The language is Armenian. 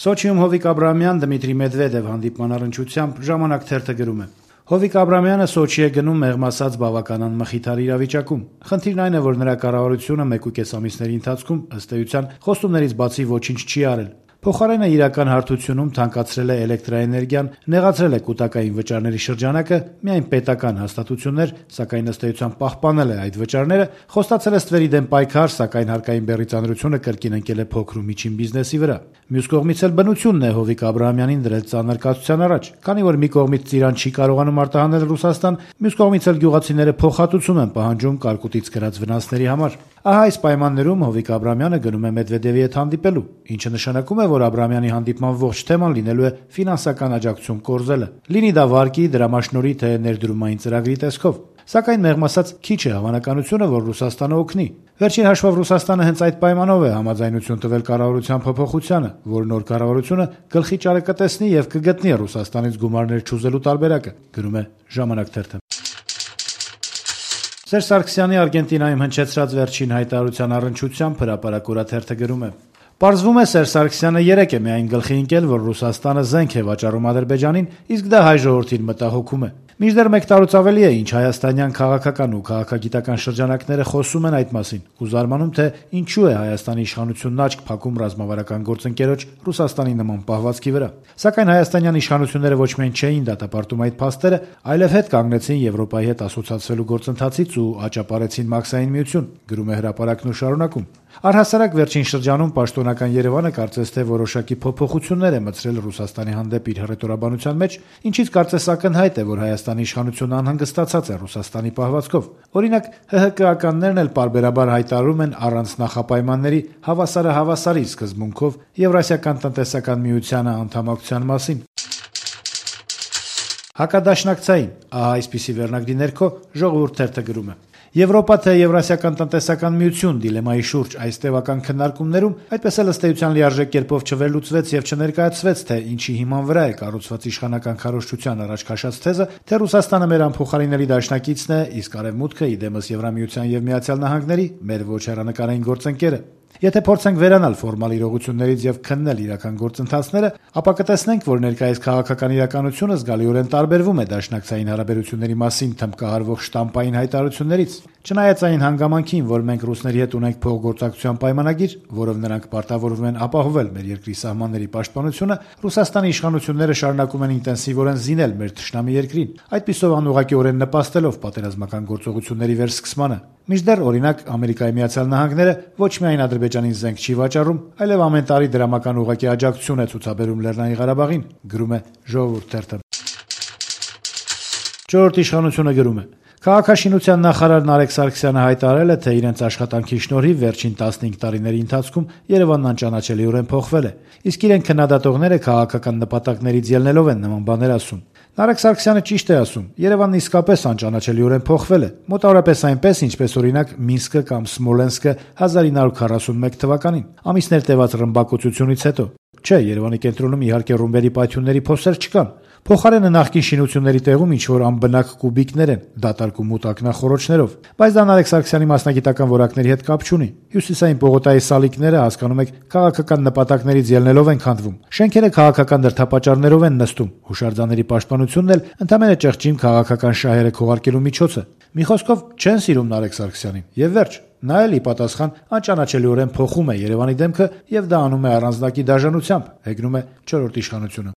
Սոչիում Հովիկ Աբրահամյան, Դմիտրի Մեդվեդև հանդիպման առնչությամբ Ժամանակ թերթը գրում է. Հովիկ Աբրահամյանը Սոչի է գնում մեղմ ասած բավականան մխիթար իրավիճակում։ Խնդիրն այն է, որ նրա կառավարությունը 1.5 ամիսների ընթացքում ըստ էության խոստումներից բացի ոչինչ չի արել։ Փոխարենը իրական հարթությունում թանկացրել է էլեկտրաէներգիան, նեղացրել է կուտակային վճարների շրջանակը, միայն պետական հաստատություններ, սակայն ըստ էության պահպանել է այդ վճարները, խոստացել է ստվերի դեմ պայքար, սակայն հարկային բեռի ծանրությունը կրկին ընկել է փոքր ու միջին բիզնեսի վրա։ Մյուս կողմից էլ բնությունն է Հովիկ Աբրահամյանին դրել ծանր կացության առաջ, քանի որ մի կողմից Ծիրան չի կարողանում արտահանել Ռուսաստան, մյուս կողմից էլ գյուղացիները փոխհատուցում են պահանջում կարկուտից կրած վնասների համար։ Ահա այս պայմաններում Հովիկ Աբրահամյանը գնում է Մեդվեդևի հետ հանդիպելու, ինչը նշանակում է, որ Աբրահամյանի հանդիպման ողջ թեման լինելու է ֆինանսական աջակցություն կորզելը։ Լինի դա վարկի, դրամաշնորհի թե ներդրումային ծրագրի տեսքով։ Սակայն մեղմ ասած քիչ է հավանականությունը, որ Ռուսաստանը օգնի։ Վերջին հաշվով Ռուսաստանը հենց այդ պայմանով է համաձայնություն տվել կառավարության փոփոխությանը, որ նոր կառավարությունը գլխի ճարը կտեսնի եւ կգտնի Ռուսաստանից գումարներ չուզելու տարբերակը, գրում է Ժամանակ թերթը։ Սերժ Սարգսյանի Արգենտինայում հնչեցրած վերջին հայտարարության առնչությամբ Հրապարակ օրաթերթը գրում է. Պարզվում է Սերժ Սարգսյանը 3 է միայն գլխի ընկել, որ Ռուսաստանը զենք է վաճառում Ադրբեջանին, իսկ դա հայ ժողովրդին մտահոգում է։ Մինչդեռ 1 տարուց ավելի է, ինչ հայաստանյան քաղաքական ու քաղաքագիտական շրջանակները խոսում են այդ մասին, ու զարմանում, թե ինչու է Հայաստանի իշխանությունն աչք փակում ռազմավարական գործընկերոջ Ռուսաստանի նման պահվածքի վրա։ Սակայն հայաստանյան իշխանությունները ոչ միայն չէին դատապարտում այդ փաստերը, այլև հետ կանգնեցին Եվրոպայի հետ ասոցացվելու գործընթացից ու աճապարեցին Մաքսային միություն, գրում է Հրապարակն ու շարունակում։ Առհասարակ վերջին շրջանում պաշտոնական Երևանը կարծես թե որոշակի փոփոխություններ է մտցրել Ռուսաստանի հանդեպ իր հռետորաբանության մեջ, ինչից կարծես ակնհայտ է, որ Հայաստանի իշխանությունը անհանգստացած է Ռուսաստանի պահվածքով։ Օրինակ, ՀՀԿ-ականներն էլ պարբերաբար հայտարարում են առանց նախապայմանների հավասարը հավասարի սկզբունքով Եվրասիական տնտեսական միությանը անդամակցության մասին։ Հակադաշնակցային, ահա այսպիսի վերնագրի ներքո Ժողովուրդ թերթը գրում է. Եվրոպա թե Եվրասիական տնտեսական միություն դիլեմայի շուրջ այս տևական քննարկումներում այդպես էլ ըստ էության լիարժեք կերպով չվերլուծվեց եւ չներկայացվեց, թե ինչի հիման վրա է կառուցված իշխանական քարոզչության առաջ քաշած թեզը, թե Ռուսաստանը մեր անփոխարինելի դաշնակիցն է, իսկ Արևմուտքը իդեմս Եվրամիության եւ Միացյալ Նահանգների մեր ոչ հեռանկարային գործընկերը։ Եթե փորձենք վերանալ ֆորմալ իրողություններից եւ քննել իրական գործընթացները, ապա կտեսնենք, որ ներկայիս քաղաքական իրականությունը զգալիորեն տարբերվում է դաշնակցային հարաբերությունների մասին թմբկահարվող շտամպային հայտարարություններից։ Չնայած այն հանգամանքին, որ մենք ռուսների հետ ունենք փոխգործակցության պայմանագիր, որով նրանք պարտավորվում են ապահովել մեր երկրի սահմանների պաշտպանությունը, Ռուսաստանի իշխանությունները շարունակում են ինտենսիվորեն զինել մեր թշնամի երկրին, այդպիսով անուղղակիորեն նպաստելով պատերազմական գործողությունների վերսկսմանը։ Մինչդեռ, օրինակ, Ամերիկայի Միացյալ Նահանգները ոչ միայն Ադրբեջանին զենք չի վաճառում, այլև ամեն տարի դրամական ուղղակի աջակցություն է ցուցաբերում Լեռնային Ղարաբաղին, գրում է Ժողովուրդ թերթը։ Չորրորդ իշխանությունը գրում է. Քաղաքաշինության նախարար Նարեկ Սարգսյանը հայտարարել է, թե իրենց աշխատանքի շնորհիվ վերջին 15 տարիների ընթացքում Երևանն անճանաչելիորեն փոխվել է, իսկ իրեն քննադատողները քաղաքական նպատակներից ելնելով են նման բաներ ասում։ Նարեկ Սարգսյանը ճիշտ է ասում, Երևանն իսկապես անճանաչելիորեն փոխվել է, մոտավորապես այնպես, ինչպես օրինակ Մինսկը կամ Սմոլենսկը 1941 թվականին, ամիսներ տևած ռմբակոծությունից հետո։ Չէ, Երևանի կենտրոնում իհարկե ռումբերի պայթյունների փոսեր չկան։ Փոխարենը նախկին շինությունների տեղում ինչ-որ անբնակ կուբիկներ են, դատարկ ու մութ ակնախոռոչներով, բայց դա Նարեկ Սարգսյանի մասնագիտական որակների հետ կապ չունի։ Հյուսիսային պողոտայի սալիկները, հասկանում եք, քաղաքական նպատակներից ելնելով են քանդվում։ Շենքերը քաղաքական դրդապատճառներով են նստում, հուշարձանների պաշտպանությունն էլ ընդամենը ճեղճիմ քաղաքական շահերը քողարկելու միջոց է։ Մի խոսքով չեն սիրում Նարեկ Սարգսյանին, եւ վերջ։ Նա էլ ի պատասխան անճանաչելիորեն փոխում է Երևանի դեմքը եւ դա անում է առանձնակի դաժանությամբ, հեգնում է չորրորդ իշխանությունը։